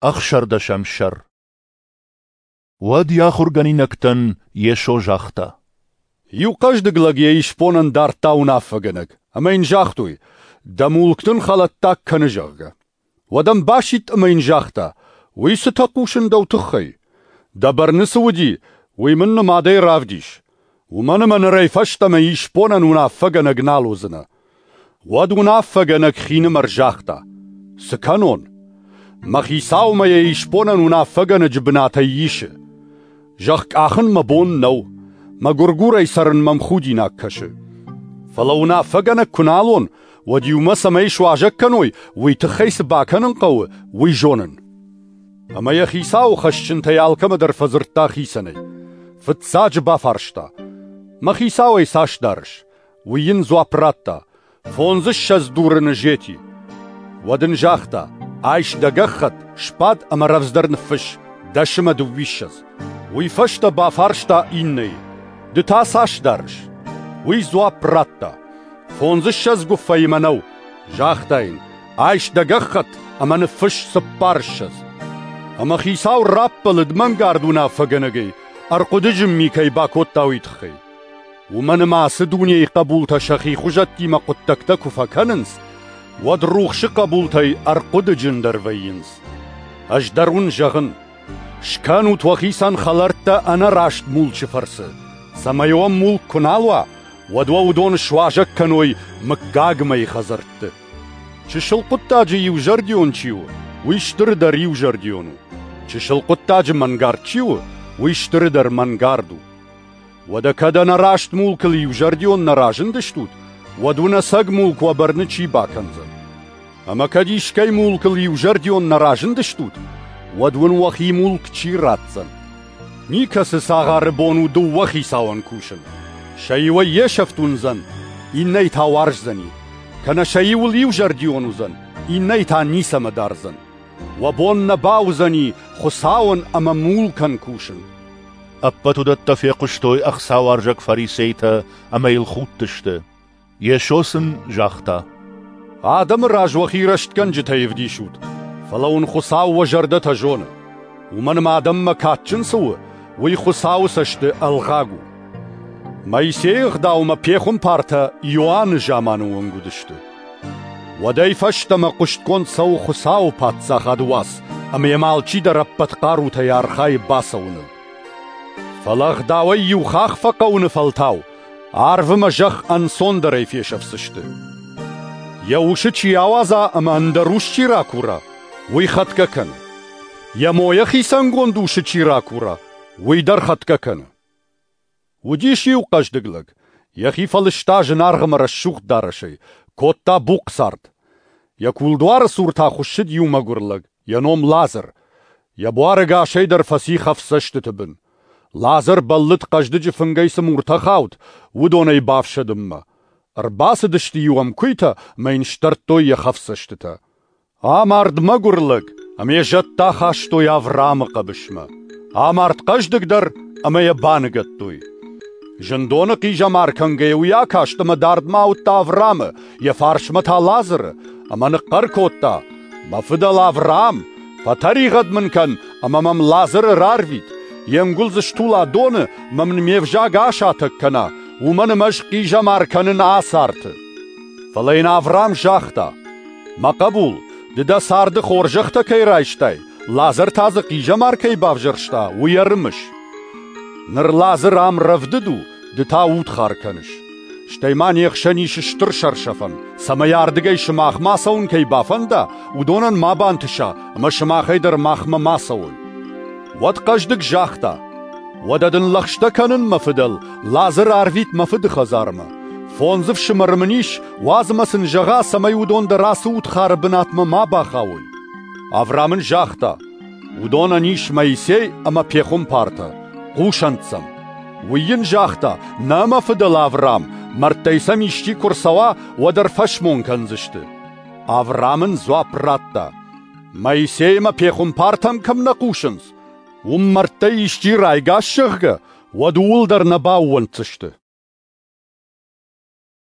16-ӕм сӕр. Уӕд йӕ ахуыргӕнинӕгтӕн Йесо загъта: Иу хъӕздыг лӕг йӕ исбонӕн дардта уынаффӕгӕнӕг, ӕмӕ йын загътой, дӕ мулк дын хӕлӕттаг кӕны, зӕгъгӕ. Уӕд ӕм басидт ӕмӕ йын загъта, уый цытӕ хъусын дӕу тыххӕй? Дӕ бӕрны цы уыди, уый мын нымадӕй равдис. Уымӕн ӕмӕ нырӕй фӕстӕмӕ исбонӕн уынаффӕгӕнӕг нал уыдзынӕ. Уӕд уынаффӕгӕнӕг хинымӕр загъта, цы кӕнон? Мӕ хицау мӕ йӕ исбонӕн уынаффӕгӕнӕджы бынатӕй исы. Зӕхх къахын мӕ бон нӕу, мӕгуыргурӕй цӕрын мӕм худинаг кӕсы. Фӕлӕ уынаффӕгӕнӕг куы нал уон, уӕд иумӕ цӕмӕй суазӕг кӕной, уый тыххӕй цы бакӕнын хъӕуы, уый зонын. Ӕмӕ йӕ хицауы хӕсджынтӕй алкӕмӕ дӕр фӕдзырдта хицӕнӕй. Фыццаджы бафарста: «Мӕ хицауӕй цас дарыс?» Уый йын дзуапп радта: 25 дурыны зети. Уӕд ын загъта: «Айс дӕ гӕххӕтт, сбад ӕмӕ рӕвдздӕр ныффысс, 10 ӕмӕ 22». Уый фӕстӕ бафарста иннӕйы: «Ды та цас дарыс?» Уый дзуапп радта: 25 гуыффӕйы мӕнӕу». Загъта йын: «Айс дӕ гӕххӕтт ӕмӕ ныффысс 24». Ӕмӕ хицау раппӕлыд мӕнгард уынаффӕгӕнӕгӕй, ӕрхъуыдыджын ми кӕй бакодта, уый тыххӕй. Уымӕн ӕмӕ ацы дунейы хъӕбултӕ сӕхи хуызӕттимӕ хъуыддӕгтӕ куы фӕкӕнынц, уӕд рухсы хъӕбултӕй ӕрхъуыдыджындӕр вӕййынц. Ӕз дӕр уын зӕгъын, скӕнут уӕхицӕн хӕлӕрттӕ ӕнӕраст мулчы фӕрцы, цӕмӕй уӕм мулк куы нал уа, уӕд уӕ уыдон суазӕг кӕной мыггагмӕйы хӕдзӕртты. Чысыл хъуыддаджы иузӕрдион чи у, уый стыры дӕр иузӕрдион у. Чысыл хъуыддаджы мӕнгард чи у, уый стыры дӕр мӕнгард у. Уӕдӕ кӕд ӕнӕраст мулкыл иузӕрдион нӕ разындыстут, уӕд уын ӕцӕг мулк уӕ бӕрны чи бакӕндзӕн? Ӕмӕ кӕд искӕй мулкыл иузӕрдион нӕ разындыстут, уӕд уын уӕхи мулк чи ратдзӕн? Никӕцы цагъары бон у дыууӕ хицауӕн кусын. Сӕ иуӕй йе сӕфт уындзӕн, иннӕй та уарздзӕни. Кӕнӕ сӕ иуыл иузӕрдион уыдзӕн, иннӕй та ницӕмӕ дардзӕн. Уӕ бон нӕ бауыдзӕни Хуыцауӕн ӕмӕ мулкӕн кусын. Ӕппӕт уыдӕттӕ фехъуыстой ӕхцауарзӕг фарисейтӕ ӕмӕ йыл худтысты. Йесо сын загъта: Адӕмы раз уӕхи рӕстгӕнджытӕй ӕвдисут, фӕлӕ уын Хуыцау уӕ зӕрдӕтӕ зоны. Уымӕн ӕмӕ адӕммӕ кадджын цы у, уый Хуыцауы цӕсты ӕлгъаг у. Моисейы ӕгъдаумӕ пехуымпартӕ Иоанны заманы онг уыдысты. Уӕдӕй фӕстӕмӕ хъуыстгонд цӕуы Хуыцауы паддзахады уац, ӕмӕ йӕм алчидӕр ӕппӕт хъарутӕй архайы бацӕуыныл. Фӕлӕ ӕгъдауӕй иу хахх фӕхъӕуыны фӕлтау арв ӕмӕ зӕхх ӕнцондӕрӕй фесӕфдзысты. Йӕ усы чи ауадза ӕмӕ ӕндӕр ус чи ракура, уый хӕтгӕ кӕны. Йӕ мойӕ хицӕнгонд усы чи ракура, уый дӕр хӕтгӕ кӕны. Уыдис иу хъӕздыг лӕг, йӕхи фӕлыста зынаргъ ӕмӕ рӕсугъд дарӕсӕй, кодта бухъ цард. Йӕ кулдуары цур та хуыссыд иу мӕгуыр лӕг, йӕ ном Лазӕр. Йӕ буар ӕгасӕй дӕр фӕци хӕфдзӕстыты бын. Лазӕр бӕллыд хъӕздыджы фынгӕй цы муртӕ хауд, уыдонӕй бафсӕдынмӕ. Ӕрбацыдысты-иу ӕм куыйтӕ ӕмӕ йын сдӕрдтой йӕ хӕфдзӕстытӕ. Амард мӕгуыр лӕг, ӕмӕ йӕ зӕдтӕ ахастой Авраамы хъӕбысмӕ. Амард хъӕздыг дӕр, ӕмӕ йӕ баныгӕдтой. Зындоны хъизӕмар кӕнгӕйӕ уый акаст ӕмӕ дардмӕ ауыдта Авраамы, йӕ фарсмӕ та Лазӕры, ӕмӕ ныхъхъӕр кодта: «Мӕ фыдӕл Авраам, фӕтӕригъӕд мын кӕн ӕмӕ мӕм Лазӕры рарвит, йе нгуылдз стула доны ӕмӕ мын ме взаг асатӕг кӕна, уымӕн ӕмӕ ӕз хъизӕмар кӕнын ацы арты». Фӕлӕ йын Авраам загъта: «Мӕ хъӕбул, ды дӕ царды хорзӕхтӕ кӕй райстай, Лазӕр та дзы хъизӕмар кӕй бавзӕрста, уый ӕрымыс. Ныр Лазӕр ам рӕвдыд у, ды та удхар кӕныс. Стӕй ма не хсӕн ис стыр сӕрсӕфӕн, цӕмӕй ардыгӕй сымахмӕ ацӕуын кӕй бафӕнда, уыдонӕн ма бантыса, ӕмӕ сымахӕй дӕр махмӕ ма цӕуой». Уӕд хъӕздыг загъта: «Уӕдӕ дын лӕгъстӕ кӕнын, мӕ фыдӕл, Лазӕры арвит мӕ фыды хӕдзармӕ. 5 ӕфсымӕры мын ис, уадз ӕмӕ сын зӕгъа, цӕмӕй уыдон дӕр ацы удхары бынатмӕ ма бахауой». Авраам ын загъта: «Уыдонӕн ис Моисей ӕмӕ пехуымпартӕ, хъусӕнт сӕм». Уый йын загъта: «Нӕ, мӕ фыдӕл Авраам, мӕрдтӕй сӕм исчи куы рцӕуа, уӕд ӕрфӕсмон кӕндзысты». Авраам ын дзуапп радта: «Моисей ӕмӕ пехуымпартӕм кӕм нӕ хъусынц, уым мӕрдтӕй исчи райгас, зӕгъгӕ, уӕд ууыл дӕр нӕ баууӕнддзысты».